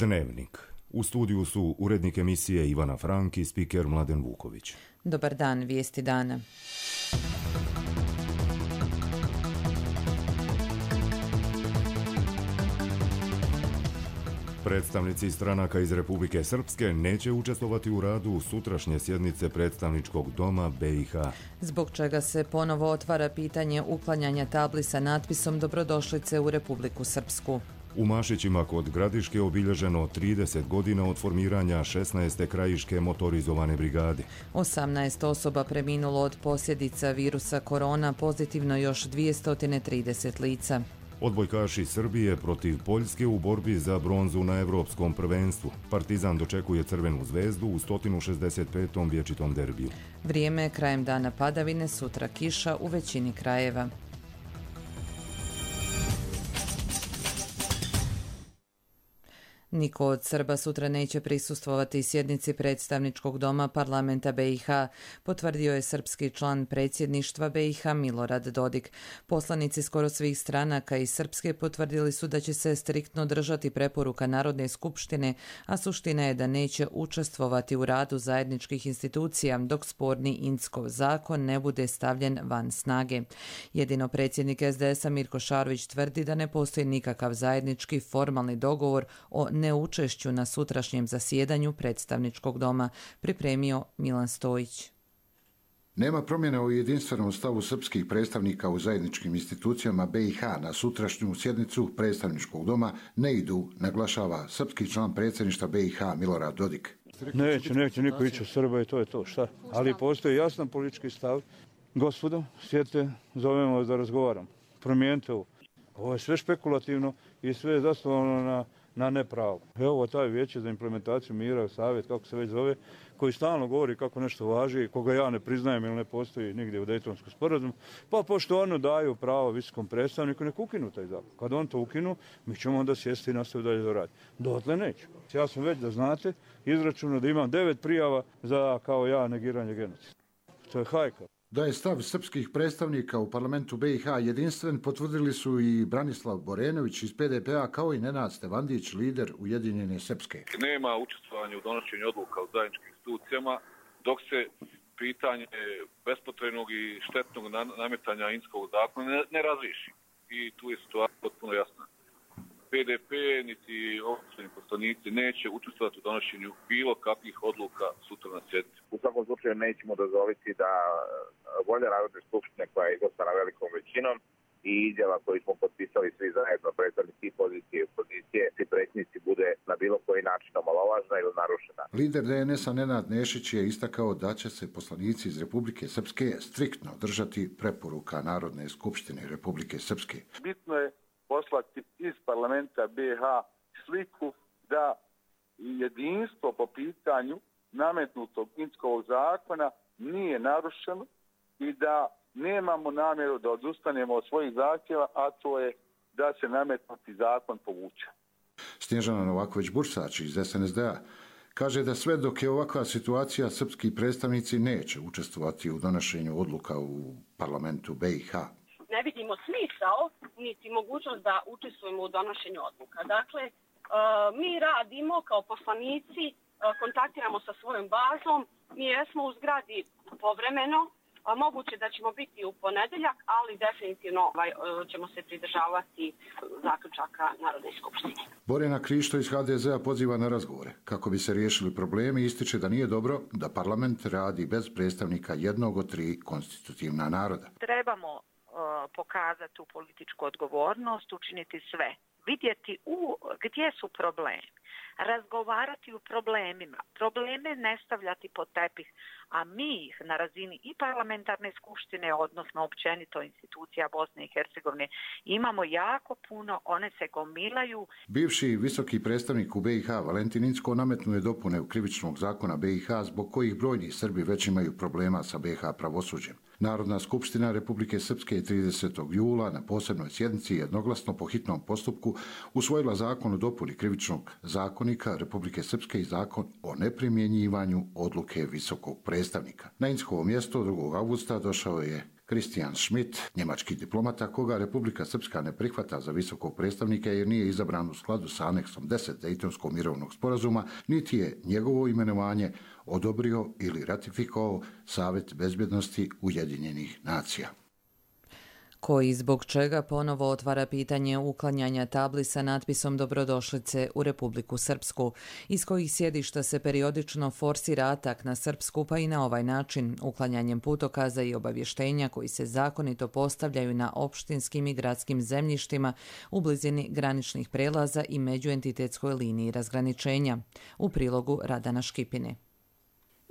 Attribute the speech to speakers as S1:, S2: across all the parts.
S1: Dnevnik. U studiju su urednik emisije Ivana Frank i spiker Mladen Vuković.
S2: Dobar dan, vijesti dana.
S1: Predstavnici stranaka iz Republike Srpske neće učestvovati u radu sutrašnje sjednice predstavničkog doma BiH.
S2: Zbog čega se ponovo otvara pitanje uklanjanja tabli sa natpisom Dobrodošlice u Republiku Srpsku.
S1: U Mašićima kod Gradiške obilježeno 30 godina od formiranja 16. krajiške motorizovane brigade.
S2: 18 osoba preminulo od posljedica virusa korona, pozitivno još 230 lica.
S1: Odbojkaši Srbije protiv Poljske u borbi za bronzu na Evropskom prvenstvu. Partizan dočekuje Crvenu zvezdu u 165. vječitom derbiju.
S2: Vrijeme, krajem dana padavine, sutra kiša u većini krajeva. Niko od Srba sutra neće prisustvovati sjednici predstavničkog doma parlamenta BiH, potvrdio je srpski član predsjedništva BiH Milorad Dodik. Poslanici skoro svih stranaka iz Srpske potvrdili su da će se striktno držati preporuka Narodne skupštine, a suština je da neće učestvovati u radu zajedničkih institucija dok sporni Inckov zakon ne bude stavljen van snage. Jedino predsjednik SDS-a Mirko Šarović tvrdi da ne postoji nikakav zajednički formalni dogovor o neučešću na sutrašnjem zasjedanju predstavničkog doma, pripremio Milan Stojić.
S3: Nema promjene u jedinstvenom stavu srpskih predstavnika u zajedničkim institucijama BiH na sutrašnju sjednicu predstavničkog doma ne idu, naglašava srpski član predsjedništva BiH Milorad Dodik.
S4: Neće niko ići u Srba i to je to, šta? Ali postoji jasan politički stav. Gospodo, sjedite, zovemo vas da razgovaram. Promijenite ovo. Ovo je sve špekulativno i sve je zasnovano na nepravu. Evo taj vijeće za implementaciju mira, savjet, kako se već zove, koji stalno govori kako nešto važi, koga ja ne priznajem ili ne postoji nigdje u Dejtonskom sporazumu, pa pošto ono daju pravo visokom predstavniku, nek ukinu taj zakon. Kad on to ukinu, mi ćemo onda sjesti i nastaviti dalje da radi. Dotle neću. Ja sam već, da znate, izračunao da imam 9 prijava za, kao ja, negiranje genocida. To je hajka.
S3: Da je stav srpskih predstavnika u parlamentu BiH jedinstven, potvrdili su i Branislav Borenović iz PDP-a kao i Nenad Stevandić, lider Ujedinjene Srpske.
S5: Nema učestvovanja u donošenju odluka u zajedničkim institucijama dok se pitanje bespotrebnog i štetnog nametanja Inckovog zakona ne razriješi. I tu je situacija potpuno jasna. PDP niti opozicijski poslanici neće učestvovati u donošenju bilo kakvih odluka sutra na sjednici.
S6: U svakom slučaju nećemo dozvoliti da volja Narodne skupštine koja je izglasana velikom većinom i izjava koju smo potpisali svi zajedno, predstavnici pozicije i opozicije, svi predsjednici bude na bilo koji način omalovažena ili narušena.
S3: Lider DNS-a Nenad Nešić je istakao da će se poslanici iz Republike Srpske striktno držati preporuka Narodne skupštine Republike Srpske.
S7: Bitno je poslati iz parlamenta BiH sliku da jedinstvo po pitanju nametnutog Inckovog zakona nije narušeno i da nemamo namjeru da odustanemo od svojih zahtjeva, a to je da se nametnuti zakon povuče.
S3: Snježana Novaković-Bursač iz SNSD-a kaže da sve dok je ovakva situacija, srpski predstavnici neće učestvovati u donošenju odluka u parlamentu BiH.
S8: Ne vidimo smisao niti mogućnost da učestvujemo u donošenju odluka. Dakle, mi radimo kao poslanici, kontaktiramo sa svojom bazom, mi jesmo u zgradi povremeno, moguće da ćemo biti u ponedjeljak, ali definitivno ćemo se pridržavati zaključaka Narodne skupštine.
S3: Borjana Krišto iz HDZ-a poziva na razgovore. Kako bi se riješili problemi, ističe da nije dobro da parlament radi bez predstavnika jednog od 3 konstitutivna naroda.
S9: Trebamo pokazati tu političku odgovornost, učiniti sve, vidjeti gdje su problemi, razgovarati o problemima, probleme ne stavljati pod tepih, a mi ih na razini i parlamentarne skupštine, odnosno općenito institucija Bosne i Hercegovine, imamo jako puno, one se gomilaju.
S3: Bivši visoki predstavnik u BiH Valentin Incko nametnuo je dopune u krivičnog zakona BiH zbog kojih brojni Srbi već imaju problema sa BiH pravosuđem. Narodna skupština Republike Srpske je 30. jula na posebnoj sjednici jednoglasno po hitnom postupku usvojila zakon o dopuni krivičnog zakonika Republike Srpske i zakon o neprimjenjivanju odluke visokog predstavnika. Na Inckovo mjesto 2. avgusta došao je Christian Schmidt, njemački diplomata koga Republika Srpska ne prihvata za visokog predstavnika jer nije izabran u skladu sa aneksom 10 Dejtonskog mirovnog sporazuma, niti je njegovo imenovanje odobrio ili ratifikovao Savet bezbjednosti Ujedinjenih nacija.
S2: Koji zbog čega ponovo otvara pitanje uklanjanja tabli sa natpisom dobrodošlice u Republiku Srpsku, iz kojih sjedišta se periodično forsira atak na Srpsku, pa i na ovaj način uklanjanjem putokaza i obavještenja koji se zakonito postavljaju na opštinskim i gradskim zemljištima u blizini graničnih prelaza i međuentitetskoj liniji razgraničenja. U prilogu Radana Škipine.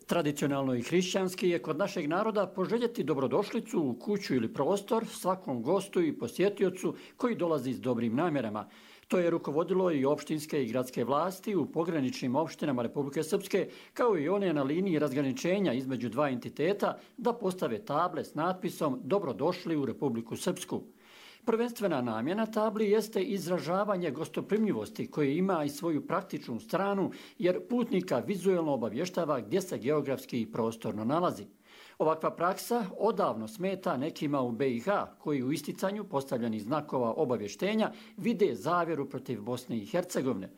S10: Tradicionalno i hrišćanski je kod našeg naroda poželjeti dobrodošlicu u kuću ili prostor svakom gostu i posjetiocu koji dolazi s dobrim namjerama. To je rukovodilo i opštinske i gradske vlasti u pograničnim opštinama Republike Srpske, kao i one na liniji razgraničenja između dva entiteta, da postave table s natpisom Dobrodošli u Republiku Srpsku. Prvenstvena namjena tabli jeste izražavanje gostoprimljivosti koje ima i svoju praktičnu stranu jer putnika vizuelno obavještava gdje se geografski i prostorno nalazi. Ovakva praksa odavno smeta nekima u BiH koji u isticanju postavljenih znakova obavještenja vide zavjeru protiv Bosne i Hercegovine.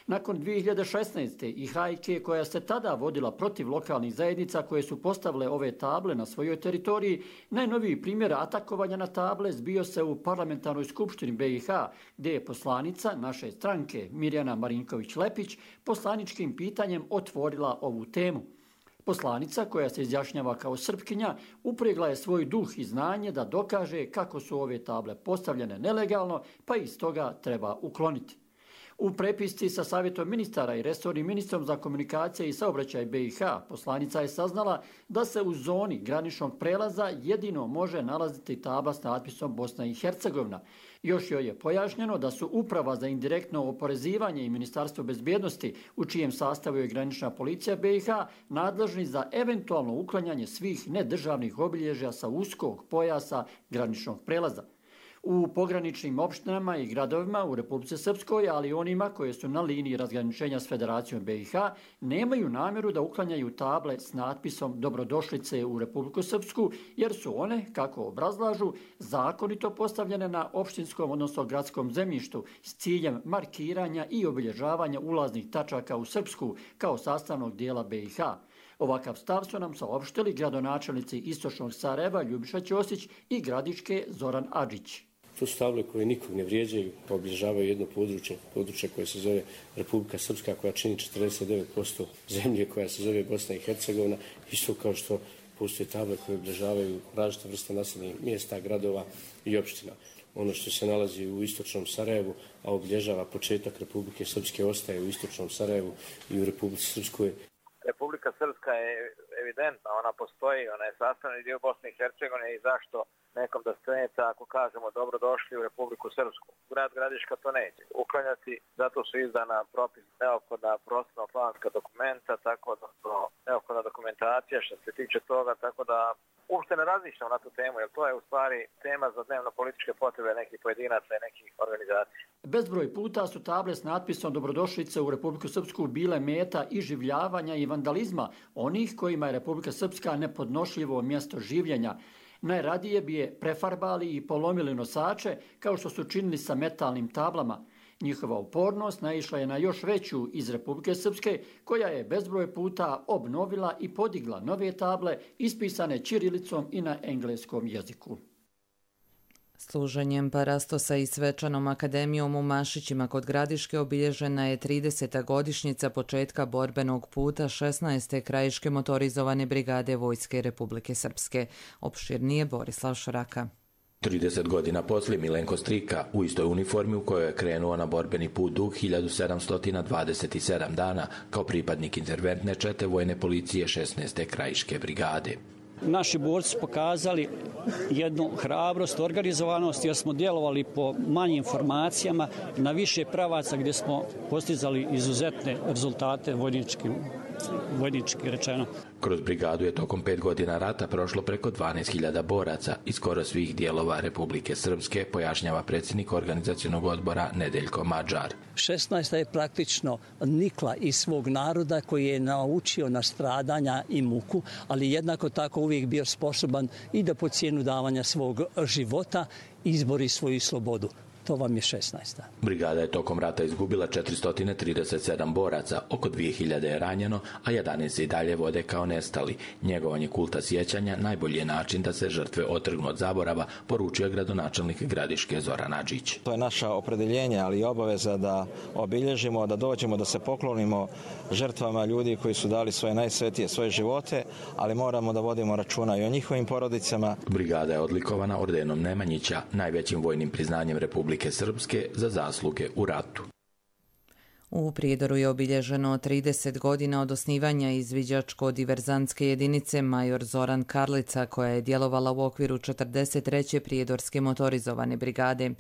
S10: Nakon 2016. i hajke koja se tada vodila protiv lokalnih zajednica koje su postavile ove table na svojoj teritoriji, najnoviji primjer atakovanja na table zbio se u parlamentarnoj skupštini BiH, gdje je poslanica naše stranke Mirjana Marinković-Lepić poslaničkim pitanjem otvorila ovu temu. Poslanica, koja se izjašnjava kao Srpkinja, upregla je svoj duh i znanje da dokaže kako su ove table postavljene nelegalno, pa iz toga treba ukloniti. U prepisci sa Savjetom ministara i resornim ministrom za komunikacije i saobraćaj BiH poslanica je saznala da se u zoni graničnog prelaza jedino može nalaziti tabla s natpisom Bosna i Hercegovina. Još joj je pojašnjeno da su Uprava za indirektno oporezivanje i Ministarstvo bezbjednosti, u čijem sastavu je granična policija BiH, nadležni za eventualno uklanjanje svih nedržavnih obilježja sa uskog pojasa graničnog prelaza. U pograničnim opštinama i gradovima u Republici Srpskoj, ali i onima koje su na liniji razgraničenja s Federacijom BiH, nemaju namjeru da uklanjaju table s natpisom Dobrodošlice u Republiku Srpsku, jer su one, kako obrazlažu, zakonito postavljene na opštinskom, odnosno gradskom zemljištu s ciljem markiranja i obilježavanja ulaznih tačaka u Srpsku kao sastavnog dijela BiH. Ovakav stav su nam saopštili gradonačelnici Istočnog Sarajeva Ljubiša Ćosić i Gradiške Zoran Adžić.
S11: To su table koje nikog ne vrijeđaju, obilježavaju jedno područje koje se zove Republika Srpska, koja čini 49% zemlje koja se zove Bosna i Hercegovina, isto kao što postoje table koje obilježavaju različite vrste naseljenih mjesta, gradova i opština. Ono što se nalazi u Istočnom Sarajevu, a obilježava početak Republike Srpske, ostaje u Istočnom Sarajevu i u Republici Srpskoj.
S6: Republika Srpska je evidentna, ona postoji, ona je sastavni dio Bosne i Hercegovine i zašto nekom da strenica ako kažemo dobrodošli u Republiku Srpsku. Grad Gradiška to neće uklanjati, zato su izdana propis neophodna prostorno-planska dokumenta, tako da neophodna dokumentacija što se tiče toga, tako da uopšte ne razmišljam na tu temu, jer to je u stvari tema za dnevno političke potrebe nekih pojedinaca i nekih organizacija.
S10: Bezbroj puta su table s natpisom Dobrodošlice u Republiku Srpsku bile meta iživljavanja i vandalizma onih kojima je Republika Srpska nepodnošljivo mjesto življenja. Najradije bi je prefarbali i polomili nosače, kao što su činili sa metalnim tablama. Njihova upornost naišla je na još veću iz Republike Srpske, koja je bezbroj puta obnovila i podigla nove table ispisane ćirilicom i na engleskom jeziku.
S2: Služenjem parastosa i svečanom akademijom u Mašićima kod Gradiške obilježena je 30. godišnjica početka borbenog puta 16. krajiške motorizovane brigade Vojske Republike Srpske. Opširnije Borislav Šoraka.
S12: 30 godina poslije Milenko Strika u istoj uniformi u kojoj je krenuo na borbeni put dug 1727 dana kao pripadnik interventne čete vojne policije 16. krajiške brigade.
S13: Naši borci pokazali jednu hrabrost, organizovanost jer smo djelovali po manjim formacijama na više pravaca gdje smo postizali izuzetne rezultate vojničkim vojnički rečeno.
S12: Kroz brigadu je tokom 5 godina rata prošlo preko 12.000 boraca iz skoro svih dijelova Republike Srpske, pojašnjava predsjednik organizacionog odbora Nedeljko Mađar.
S13: 16. je praktično nikla iz svog naroda koji je naučio na stradanja i muku, ali jednako tako uvijek bio sposoban i da po cijenu davanja svog života izbori svoju slobodu. To vam je 16.
S12: Brigada je tokom rata izgubila 437 boraca, oko 2000 je ranjeno, a 11 se i dalje vode kao nestali. Njegovanje kulta sjećanja najbolji je način da se žrtve otrgnu od zaborava, poručio gradonačelnik Gradiške Zoran Adžić.
S14: To je naša opredeljenje, ali i obaveza da obilježimo, da dođemo, da se poklonimo žrtvama ljudi koji su dali svoje najsvetije, svoje živote, ali moramo da vodimo računa i o njihovim porodicama.
S12: Brigada je odlikovana ordenom Nemanjića, najvećim vojnim priznanjem Republike Srpske za zasluge u ratu.
S2: U Prijedoru je obilježeno 30 godina od osnivanja izviđačko-diverzantske jedinice Major Zoran Karlica, koja je djelovala u okviru 43. Prijedorske motorizovane brigade.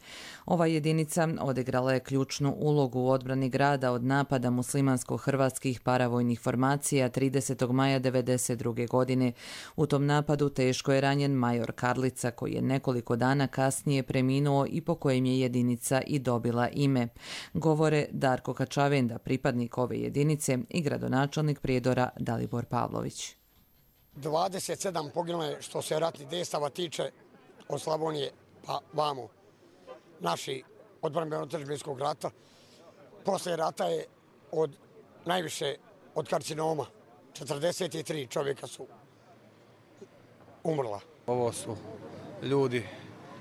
S2: Ova jedinica odigrala je ključnu ulogu u odbrani grada od napada muslimansko-hrvatskih paravojnih formacija 30. maja 1992. godine. U tom napadu teško je ranjen Major Karlica, koji je nekoliko dana kasnije preminuo i po kojem je jedinica i dobila ime. Govore Darko Kačavenda, pripadnik ove jedinice, i gradonačelnik Prijedora Dalibor Pavlović.
S15: 27 poginule što se ratnih dejstava tiče od Slavonije pa vamo. Naši odbrambeno-otadžbinskog rata. Posle rata je najviše od karcinoma. 43 čovjeka su umrla.
S16: Ovo su ljudi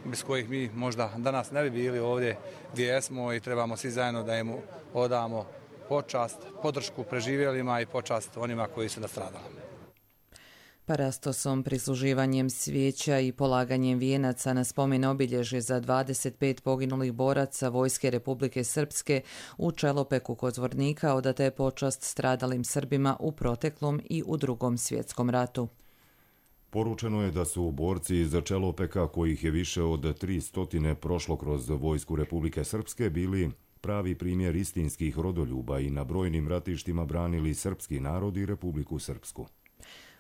S16: bez kojih mi možda danas ne bi bili ovdje gdje jesmo i trebamo svi zajedno da im odamo počast, podršku preživjelima i počast onima koji su nastradali.
S2: Parastosom, prisluživanjem svijeća i polaganjem vijenaca na spomen obilježje za 25 poginulih boraca Vojske Republike Srpske u Čelopeku kod Zvornika odata je počast stradalim Srbima u proteklom i u Drugom svjetskom ratu.
S1: Poručeno je da su borci iz Čelopeka, kojih je više od 300 prošlo kroz Vojsku Republike Srpske, bili pravi primjer istinskih rodoljuba i na brojnim ratištima branili srpski narod i Republiku Srpsku.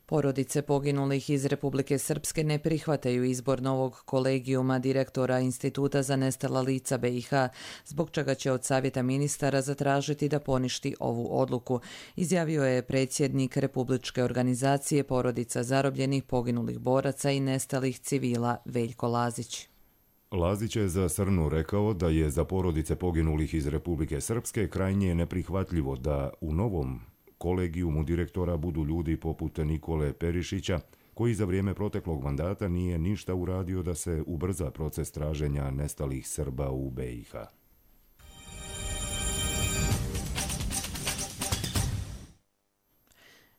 S2: Porodice poginulih iz Republike Srpske ne prihvataju izbor novog kolegijuma direktora Instituta za nestala lica BiH, zbog čega će od Savjeta ministara zatražiti da poništi ovu odluku, izjavio je predsjednik Republičke organizacije porodica zarobljenih poginulih boraca i nestalih civila Veljko Lazić.
S1: Lazić je za Srnu rekao da je za porodice poginulih iz Republike Srpske krajnje neprihvatljivo da u novom kolegijumu direktora budu ljudi poput Nikole Perišića, koji za vrijeme proteklog mandata nije ništa uradio da se ubrza proces traženja nestalih Srba u BiH.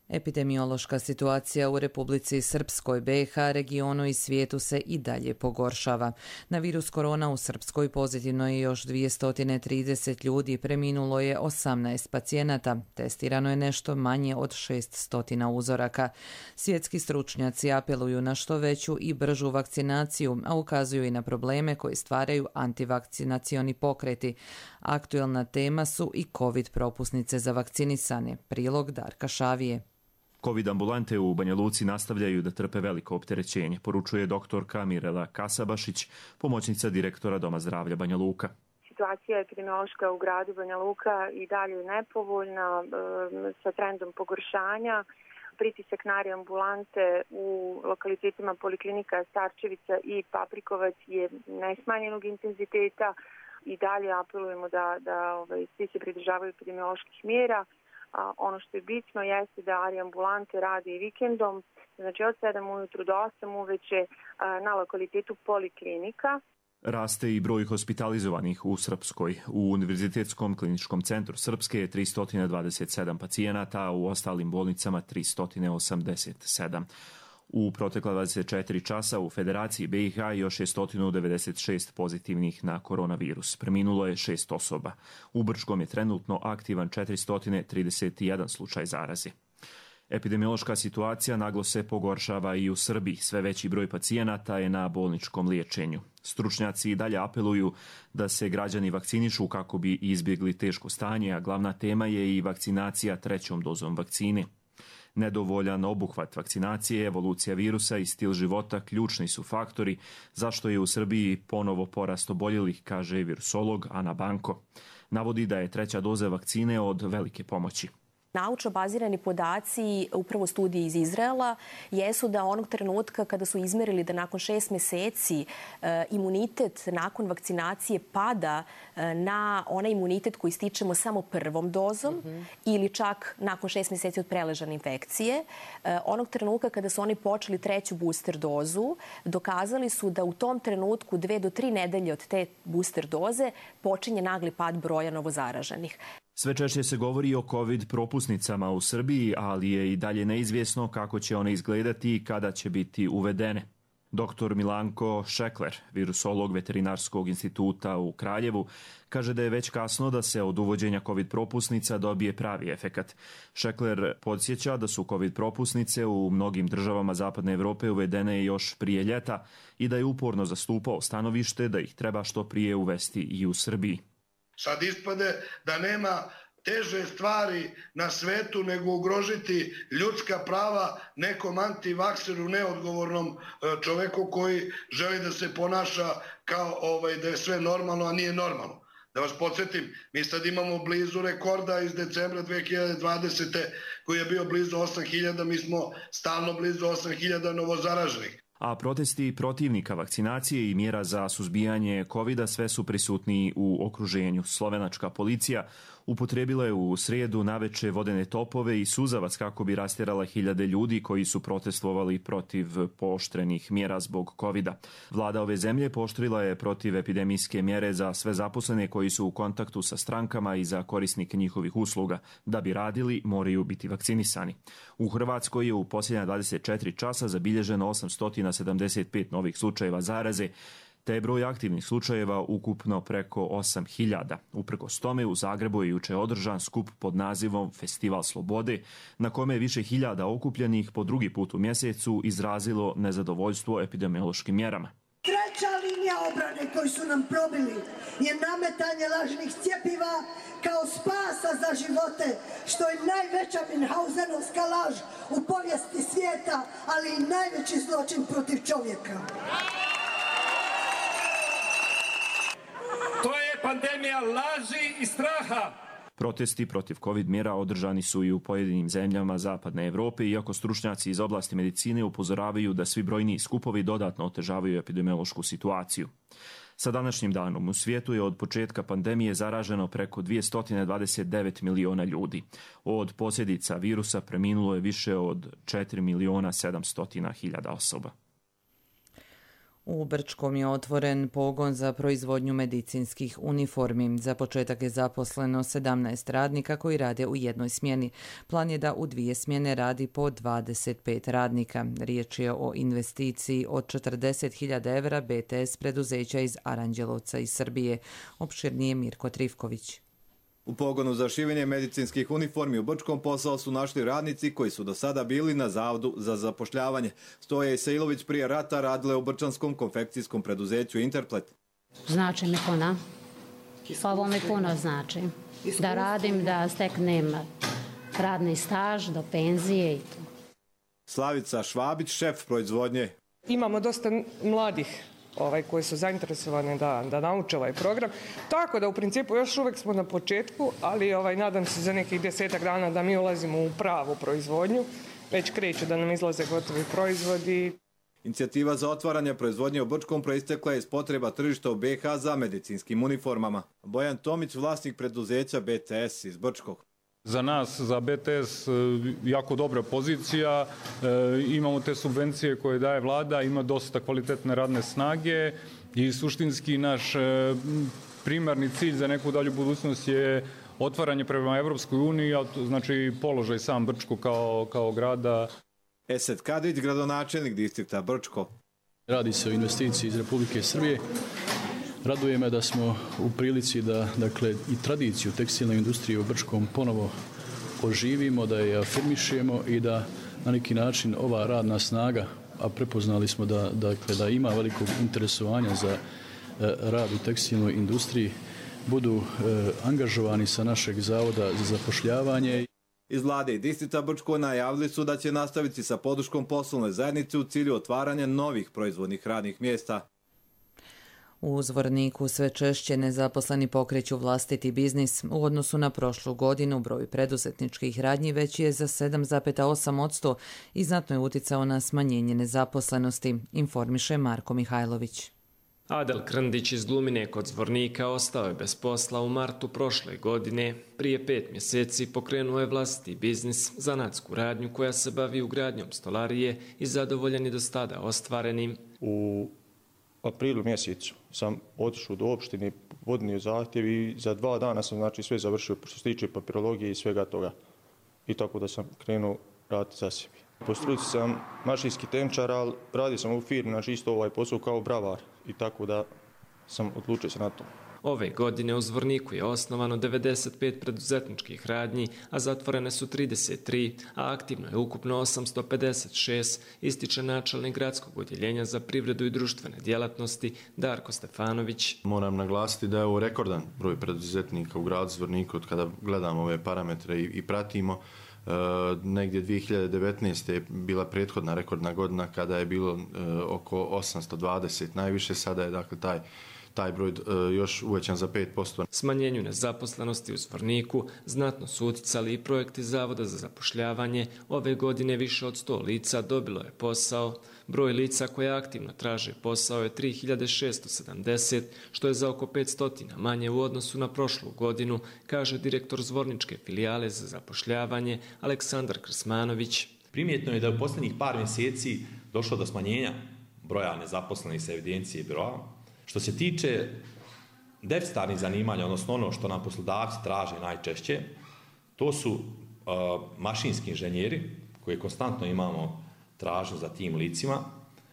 S2: Epidemiološka situacija u Republici Srpskoj, BiH, regionu i svijetu se i dalje pogoršava. Na virus korona u Srpskoj pozitivno je još 230 ljudi, preminulo je 18 pacijenata, testirano je nešto manje od 600 uzoraka. Svjetski stručnjaci apeluju na što veću i bržu vakcinaciju, a ukazuju i na probleme koje stvaraju antivakcinacioni pokreti. Aktuelna tema su i COVID propusnice za vakcinisane. Prilog Darka Šavije.
S17: COVID ambulante u Banja Luci nastavljaju da trpe veliko opterećenje, poručuje doktorka Mirela Kasabašić, pomoćnica direktora Doma zdravlja Banja Luka.
S18: Situacija epidemiološka u gradu Banja Luka i dalje nepovoljna sa trendom pogoršanja. Pritisak na ambulante u lokalitetima Poliklinika Starčevica i Paprikovac je nesmanjenog intenziteta i dalje apelujemo da svi se pridržavaju epidemioloških mjera. Ono što je bitno jeste da ambulante rade i vikendom, znači od 7 ujutru do 8 uveče na lokalitetu Poliklinika.
S17: Raste i broj hospitalizovanih u Srpskoj. U Univerzitetskom kliničkom centru Srpske je 327 pacijenata, a u ostalim bolnicama 387. U protekla 24 časa u Federaciji BiH još je 196 pozitivnih na koronavirus. Preminulo je 6 osoba. U Brčkom je trenutno aktivan 431 slučaj zaraze. Epidemiološka situacija naglo se pogoršava i u Srbiji. Sve veći broj pacijenata je na bolničkom liječenju. Stručnjaci i dalje apeluju da se građani vakcinišu kako bi izbjegli teško stanje, a glavna tema je i vakcinacija 3. dozom vakcine. Nedovoljan obuhvat vakcinacije, evolucija virusa i stil života ključni su faktori zašto je u Srbiji ponovo porast oboljelih, kaže virusolog Ana Banko. Navodi da je 3. doza vakcine od velike pomoći.
S19: Naučno bazirani podaci, upravo studije iz Izraela, jesu da onog trenutka kada su izmerili da nakon 6 mjeseci imunitet nakon vakcinacije pada na onaj imunitet koji stičemo samo 1. dozom ili čak nakon 6 mjeseci od preležane infekcije. Onog trenutka kada su oni počeli 3. booster dozu, dokazali su da u tom trenutku 2 do 3 nedelje od te booster doze počinje nagli pad broja novozaraženih.
S17: Sve češće se govori o COVID propusnicama u Srbiji, ali je i dalje neizvjesno kako će one izgledati i kada će biti uvedene. Dr. Milanko Šekler, virusolog Veterinarskog instituta u Kraljevu, kaže da je već kasno da se od uvođenja COVID propusnica dobije pravi efekat. Šekler podsjeća da su COVID propusnice u mnogim državama Zapadne Evrope uvedene još prije ljeta i da je uporno zastupao stanovište da ih treba što prije uvesti i u Srbiji.
S20: Sad ispade da nema teže stvari na svetu nego ugrožiti ljudska prava nekom antivakseru, neodgovornom čoveku koji želi da se ponaša kao da je sve normalno, a nije normalno. Da vas podsjetim, mi sad imamo blizu rekorda iz decembra 2020. koji je bio blizu 8.000, mi smo stalno blizu 8.000 novozaraženih.
S17: A protesti protivnika vakcinacije i mjera za suzbijanje COVID-a sve su prisutniji u okruženju. Slovenačka policija upotrijebila je u srijedu naveče vodene topove i suzavac kako bi rastjerala hiljade ljudi koji su protestovali protiv pooštrenih mjera zbog COVID-a. Vlada ove zemlje pooštrila je protiv epidemijske mjere za sve zaposlene koji su u kontaktu sa strankama i za korisnike njihovih usluga. Da bi radili, moraju biti vakcinisani. U Hrvatskoj je u posljednja 24 časa zabilježeno 875 novih slučajeva zaraze, te je broj aktivnih slučajeva ukupno preko 8.000. Uprkos tome, u Zagrebu je juče održan skup pod nazivom Festival slobode, na kome je više hiljada okupljenih po drugi put u mjesecu izrazilo nezadovoljstvo epidemiološkim mjerama.
S21: Treća linija obrane koju su nam probili je nametanje lažnih cjepiva kao spasa za živote, što je najveća Minhausenovska laž u povijesti svijeta, ali i najveći zločin protiv čovjeka.
S22: To je pandemija laži i straha.
S17: Protesti protiv COVID mjera održani su i u pojedinim zemljama Zapadne Evrope, iako stručnjaci iz oblasti medicine upozoravaju da svi brojni skupovi dodatno otežavaju epidemiološku situaciju. Sa današnjim danom u svijetu je od početka pandemije zaraženo preko 229 miliona ljudi. Od posljedica virusa preminulo je više od 4.700.000 osoba.
S2: U Brčkom je otvoren pogon za proizvodnju medicinskih uniformi. Za početak je zaposleno 17 radnika koji rade u jednoj smjeni. Plan je da u 2 smjene radi po 25 radnika. Riječ je o investiciji od 40.000 evra BTS preduzeća iz Aranđelovca iz Srbije. Opširnije Mirko Trifković.
S23: U pogonu za šivenje medicinskih uniformi u Brčkom posao su našli radnici koji su do sada bili na Zavodu za zapošljavanje. Stoja Isailović prije rata radile u brčanskom konfekcijskom preduzeću Interplet.
S24: Znači mi puno. Ovo mi puno znači. Da radim, da steknem radni staž do penzije i to.
S23: Slavica Švabić, šef proizvodnje.
S25: Imamo dosta mladih koji su zainteresovani da nauče ovaj program. Tako da u principu još uvijek smo na početku, ali nadam se za nekih 10 dana da mi ulazimo u pravu proizvodnju. Već kreću da nam izlaze gotovi proizvodi.
S23: Inicijativa za otvaranje proizvodnje u Brčkom proistekla je iz potreba tržišta u BiH za medicinskim uniformama. Bojan Tomić, vlasnik preduzeća BTS iz Brčkog.
S26: Za nas, za BTS, jako dobra pozicija, imamo te subvencije koje daje vlada, ima dosta kvalitetne radne snage i suštinski naš primarni cilj za neku dalju budućnost je otvaranje prema Evropskoj uniji, znači položaj sam Brčko kao grada.
S23: Esed Kadrić, gradonačelnik distrikta Brčko.
S27: Radi se o investiciji iz Republike Srbije. Raduje me da smo u prilici da i tradiciju tekstilne industrije u Brčkom ponovo oživimo, da je afirmišemo i da na neki način ova radna snaga, a prepoznali smo da ima velikog interesovanja za rad u tekstilnoj industriji, budu angažovani sa našeg Zavoda za zapošljavanje.
S23: Iz vlade i distrikta Brčko najavili su da će nastaviti sa podrškom poslovne zajednice u cilju otvaranja novih proizvodnih radnih mjesta.
S2: U Zvorniku sve češće nezaposleni pokreću vlastiti biznis. U odnosu na prošlu godinu broj preduzetničkih radnji veći je za 7,8% i znatno je uticao na smanjenje nezaposlenosti, informiše Marko Mihajlović.
S3: Adel Krndić iz Glumine kod Zvornika ostao je bez posla u martu prošle godine. Prije 5 mjeseci pokrenuo je vlastiti biznis, zanatsku radnju koja se bavi ugradnjom stolarije i zadovoljan je do sada ostvarenim.
S4: U aprilu mjesecu sam otišao do opštine, podnio zahtjev i za 2 dana sam sve završio što se tiče papirologije i svega toga. I tako da sam krenuo raditi za sebi. Po struci sam mašinski tehničar, ali radio sam u firmi, isto ovaj posao kao bravar i tako da sam odlučio se na to.
S3: Ove godine u Zvorniku je osnovano 95 preduzetničkih radnji, a zatvorene su 33, a aktivno je ukupno 856, ističe načelnik gradskog odjeljenja za privredu i društvene djelatnosti Darko Stefanović.
S5: Moram naglasiti da je ovo rekordan broj preduzetnika u gradu Zvorniku od kada gledamo ove parametre i pratimo. Negdje 2019. je bila prethodna rekordna godina kada je bilo oko 820 najviše, sada je dakle taj broj još uvećan za 5%.
S3: Smanjenju nezaposlenosti u Zvorniku znatno su uticali i projekti Zavoda za zapošljavanje. Ove godine više od 100 lica dobilo je posao. Broj lica koja aktivno traže posao je 3670, što je za oko 500 manje u odnosu na prošlu godinu, kaže direktor Zvorničke filijale za zapošljavanje Aleksandar Krsmanović.
S7: Primjetno je da u posljednjih par mjeseci došlo do smanjenja broja nezaposlenih sa evidencije biroa. Što se tiče deficitarnih zanimanja, odnosno ono što nam poslodavci traže najčešće, to su mašinski inženjeri, koje konstantno imamo tražnju za tim licima,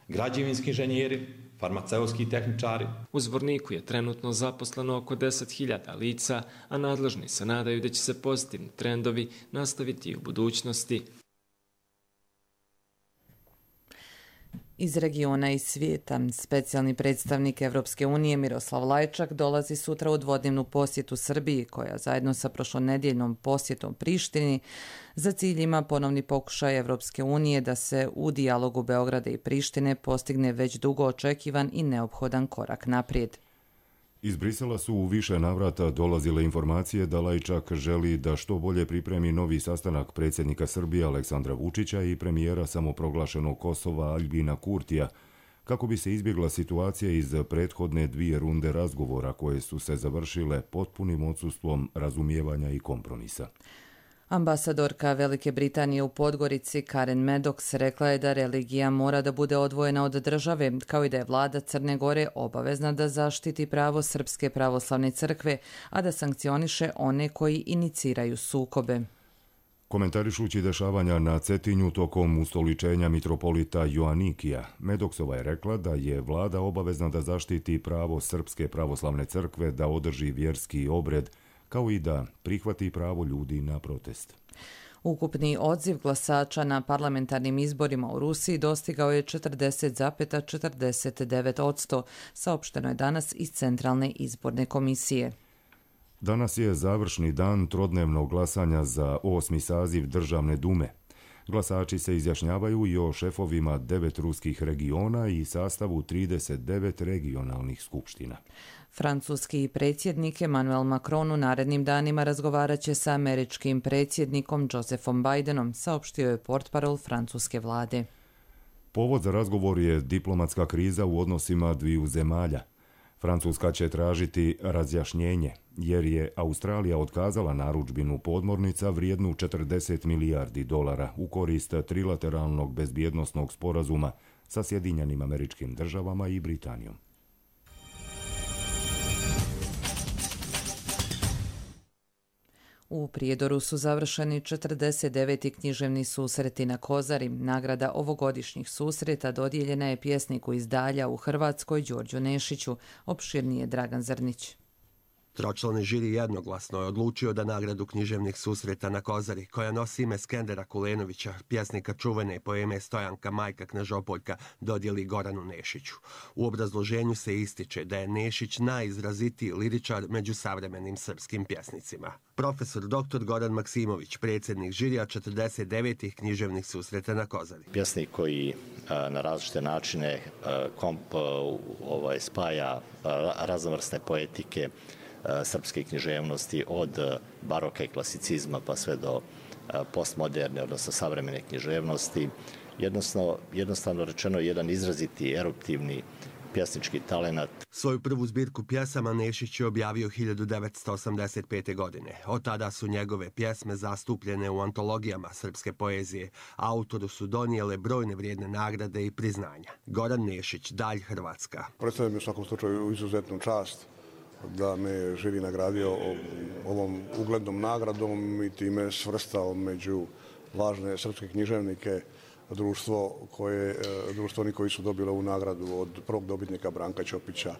S7: građevinski inženjeri, farmaceutski tehničari.
S3: U Zvorniku je trenutno zaposleno oko 10.000 lica, a nadležni se nadaju da će se pozitivni trendovi nastaviti i u budućnosti.
S2: Iz regiona i svijeta, specijalni predstavnik Evropske unije Miroslav Lajčak dolazi sutra u dvodnevnu posjetu Srbiji, koja zajedno sa prošlonedjeljnom posjetom Prištini za cilj ima ponovni pokušaj Evropske unije da se u dijalogu Beograda i Prištine postigne već dugo očekivan i neophodan korak naprijed.
S1: Iz Brisela su u više navrata dolazile informacije da Lajčak želi da što bolje pripremi novi sastanak predsjednika Srbije Aleksandra Vučića i premijera samoproglašenog Kosova Aljbina Kurtija, kako bi se izbjegla situacija iz prethodne 2 runde razgovora koje su se završile potpunim odsustvom razumijevanja i kompromisa.
S2: Ambasadorka Velike Britanije u Podgorici Karen Maddox rekla je da religija mora da bude odvojena od države, kao i da je vlada Crne Gore obavezna da zaštiti pravo Srpske pravoslavne crkve, a da sankcioniše one koji iniciraju sukobe.
S1: Komentarišući dešavanja na Cetinju tokom ustoličenja mitropolita Joanikija, Medoksova je rekla da je vlada obavezna da zaštiti pravo Srpske pravoslavne crkve da održi vjerski obred, kao i da prihvati pravo ljudi na protest.
S2: Ukupni odziv glasača na parlamentarnim izborima u Rusiji dostigao je 40,49%, saopšteno je danas iz Centralne izborne komisije.
S1: Danas je završni dan trodnevnog glasanja za 8. saziv Državne dume. Glasači se izjašnjavaju i o šefovima 9 ruskih regiona i sastavu 39 regionalnih skupština.
S2: Francuski predsjednik Emmanuel Macron u narednim danima razgovarat će sa američkim predsjednikom Josephom Bidenom, saopštio je portparol francuske vlade.
S1: Povod za razgovor je diplomatska kriza u odnosima dviju zemalja. Francuska će tražiti razjašnjenje, jer je Australija otkazala narudžbinu podmornica vrijednu $40 milijardi u korist trilateralnog bezbjednosnog sporazuma sa Sjedinjenim Američkim Državama i Britanijom.
S2: U Prijedoru su završeni 49. književni susreti na Kozari. Nagrada ovogodišnjih susreta dodijeljena je pjesniku iz Dalja u Hrvatskoj Đorđu Nešiću, opširnije Dragan Zrnić.
S6: Tročlani žiri jednoglasno je odlučio da nagradu književnih susreta na Kozari, koja nosi ime Skendera Kulenovića, pjesnika čuvene poeme Stojanka Majka Knežopoljka, dodijeli Goranu Nešiću. U obrazloženju se ističe da je Nešić najizrazitiji liričar među savremenim srpskim pjesnicima. Profesor dr. Goran Maksimović, predsjednik žirija 49. književnih susreta na Kozari.
S8: Pjesnik koji na različite načine spaja raznovrsne poetike srpske književnosti od baroka i klasicizma pa sve do postmoderne, odnosno savremene književnosti. Jednostavno rečeno jedan izraziti eruptivni pjesnički talenat.
S6: Svoju prvu zbirku pjesama Nešić je objavio 1985. godine. Od tada su njegove pjesme zastupljene u antologijama srpske poezije. Autoru su donijele brojne vrijedne nagrade i priznanja. Goran Nešić, Dalj Hrvatska.
S9: Predstavljam u svakom slučaju izuzetnu čast da me žiri nagradio ovom uglednom nagradom i time svrstao među važne srpske književnike, društvo oni koji su dobili ovu nagradu od prvog dobitnika Branka Ćopića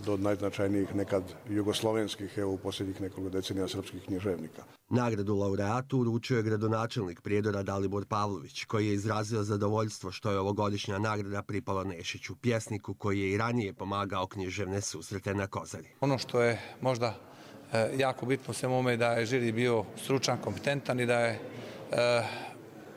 S9: do najznačajnijih nekad jugoslovenskih, u posljednjih nekoliko decenija srpskih književnika.
S6: Nagradu laureatu uručio je gradonačelnik Prijedora Dalibor Pavlović, koji je izrazio zadovoljstvo što je ovogodišnja nagrada pripala Nešiću, pjesniku koji je i ranije pomagao književne susrete na Kozari.
S16: Ono što je možda jako bitno u svemu ovome da je žiri bio stručan, kompetentan i da je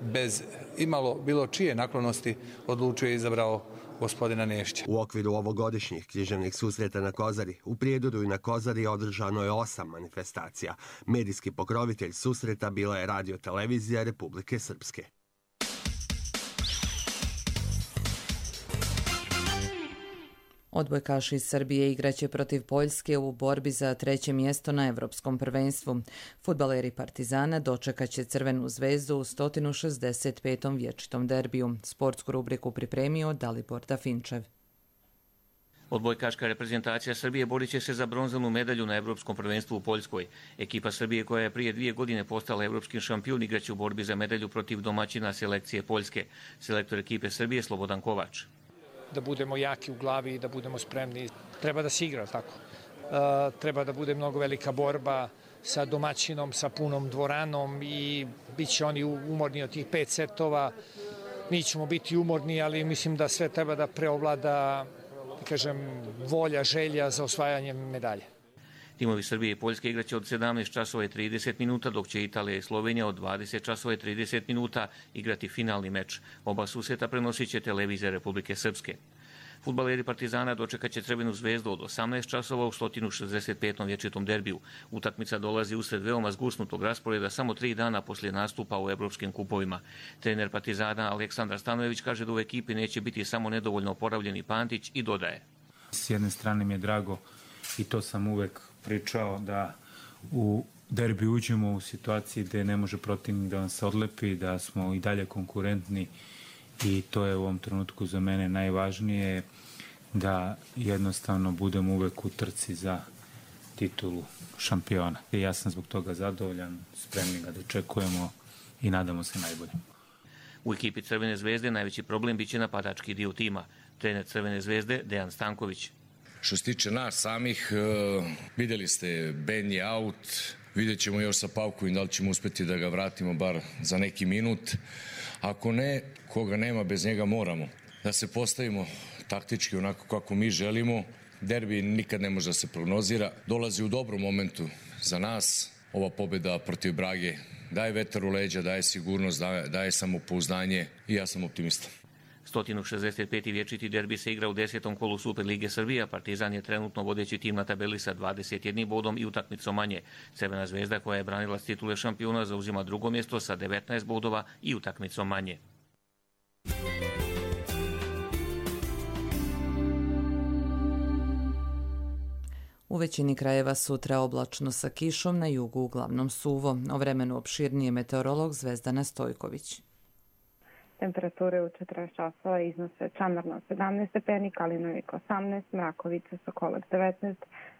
S16: bez imalo bilo čije naklonosti odlučio i izabrao gospodina Nešića.
S6: U okviru ovogodišnjih književnih susreta na Kozari, u Prijedoru i na Kozari održano je 8 manifestacija. Medijski pokrovitelj susreta bila je Radio-televizija Republike Srpske.
S2: Odbojkaši iz Srbije igraće protiv Poljske u borbi za 3. mjesto na Evropskom prvenstvu. Fudbaleri Partizana dočekaće Crvenu zvezdu u 165. vječitom derbiju. Sportsku rubriku pripremio Dalibor Dafinčev.
S10: Odbojkaška reprezentacija Srbije borit će se za bronzanu medalju na Evropskom prvenstvu u Poljskoj. Ekipa Srbije, koja je prije 2 godine postala evropski šampion, igraće u borbi za medalju protiv domaćina selekcije Poljske. Selektor ekipe Srbije Slobodan Kovač.
S11: Da budemo jaki u glavi i da budemo spremni. Treba da se igra, tako. Treba da bude mnogo velika borba sa domaćinom, sa punom dvoranom i bit će oni umorni od tih 5 setova. Mi ćemo biti umorni, ali mislim da sve treba da preovlada, volja, želja za osvajanje medalje.
S10: Timovi Srbije i Poljske igraće od 17 časova i 30 minuta, dok će Italija i Slovenija od 20 časova i 30 minuta igrati finalni meč. Oba susreta prenosit će televizija Republike Srpske. Fudbaleri Partizana dočekaće Crvenu zvezdu od 18 časova u 165. vječitom derbiju. Utakmica dolazi usred veoma zgusnutog rasporeda samo 3 dana poslije nastupa u evropskim kupovima. Trener Partizana Aleksandar Stanojević kaže da u ekipi neće biti samo nedovoljno oporavljeni Pantić i dodaje.
S13: S jedne strane mi je drago i to sam uvek pričao da u derbi uđemo u situaciji gdje ne može protivnik da vam se odlepi, da smo i dalje konkurentni i to je u ovom trenutku za mene najvažnije, da jednostavno budemo uvek u trci za titulu šampiona. Ja sam zbog toga zadovoljan, spremni ga dočekujemo i nadamo se najbolje.
S10: U ekipi Crvene zvezde najveći problem biće napadački dio tima. Trener Crvene zvezde Dejan Stanković.
S14: Što se tiče nas samih, vidjeli ste, Ben je out, vidjet ćemo još sa Pavkovim da li ćemo uspjeti da ga vratimo bar za neki minut. Ako ne, koga nema, bez njega moramo da se postavimo taktički onako kako mi želimo. Derbi nikad ne može da se prognozira, dolazi u dobrom momentu za nas. Ova pobjeda protiv Brage daje vetar u leđa, daje sigurnost, daje samopouzdanje i ja sam optimista.
S10: 165. vječiti derbi se igra u 10. kolu Super Lige Srbija. Partizan je trenutno vodeći tim na tabeli sa 21 bodom i utakmicom manje. Crvena zvezda, koja je branila titule šampiona, zauzima drugo mjesto sa 19 bodova i utakmicom manje.
S2: U većini krajeva sutra oblačno sa kišom, na jugu uglavnom suvo. O vremenu opširnije meteorolog Zvezdana Stojković.
S28: Temperature u 40 časova iznose Čandarno 17 stepeni, Kalinovik 18, Mrakovica, Sokolac 19,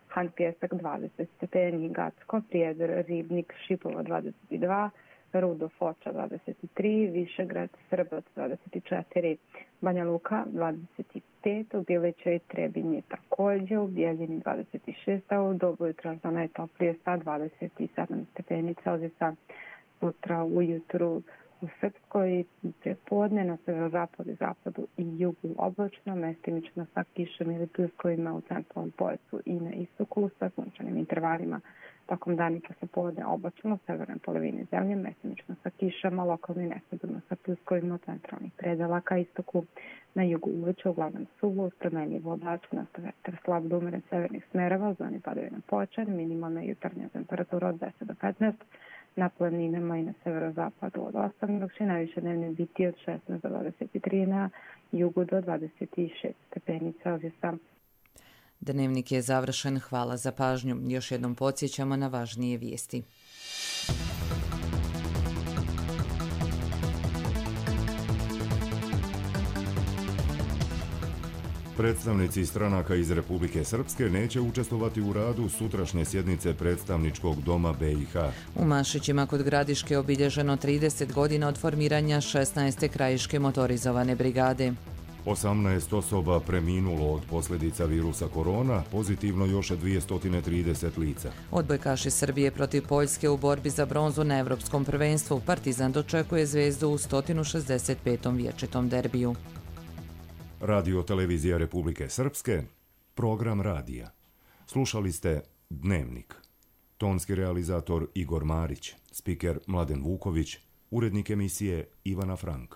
S28: Han Pjesak 20 stepeni, Gacko, Prijedor, Ribnik, Šipovo 22, Rudo, Foča 23, Višegrad, Srbac 24, Banja Luka 25. 5, u Bilećoj i Trebinji također, u Bijeljini 26, a u dobu jutra za najtoplije sa 27 stepeni Celzijusa. Sutra ujutru u Srpskoj prepodne na severozapadu i zapadu i jugu oblačno, mestimično sa kišom ili pljuskovima u centralnom pojasu i na istoku sa sunčanim intervalima. Tokom dana poslepodne oblačno u severnoj polovini zemlje, mestimično sa kišama, lokalno i nestabilno sa pljuskovima u centralnih predela ka istoku. Na jugu uveče uglavnom suvo, uz promenljivo oblačno, vetar slab do umeren severnih smerova, u zoni padavina počan, minimalna jutarnja temperatura od 10 do 15, na planinama i na severozapadu od 8, dok će najviše dnevne biti od 16 do 23, na jugu do 26 stepeni Celzijusa.
S2: Dnevnik je završen, hvala za pažnju. Još jednom podsjećamo na važnije vijesti.
S1: Predstavnici stranaka iz Republike Srpske neće učestvovati u radu sutrašnje sjednice predstavničkog doma BiH.
S2: U Mašićima kod Gradiške obilježeno 30 godina od formiranja 16. krajiške motorizovane brigade.
S1: 18 osoba preminulo od posljedica virusa korona, pozitivno još 230 lica.
S2: Odbojkaši Srbije protiv Poljske u borbi za bronzu na Evropskom prvenstvu. Partizan dočekuje Zvezdu u 165. vječitom derbiju.
S1: Radio Televizija Republike Srpske, program radija. Slušali ste Dnevnik. Tonski realizator Igor Marić, spiker Mladen Vuković, urednik emisije Ivana Frank.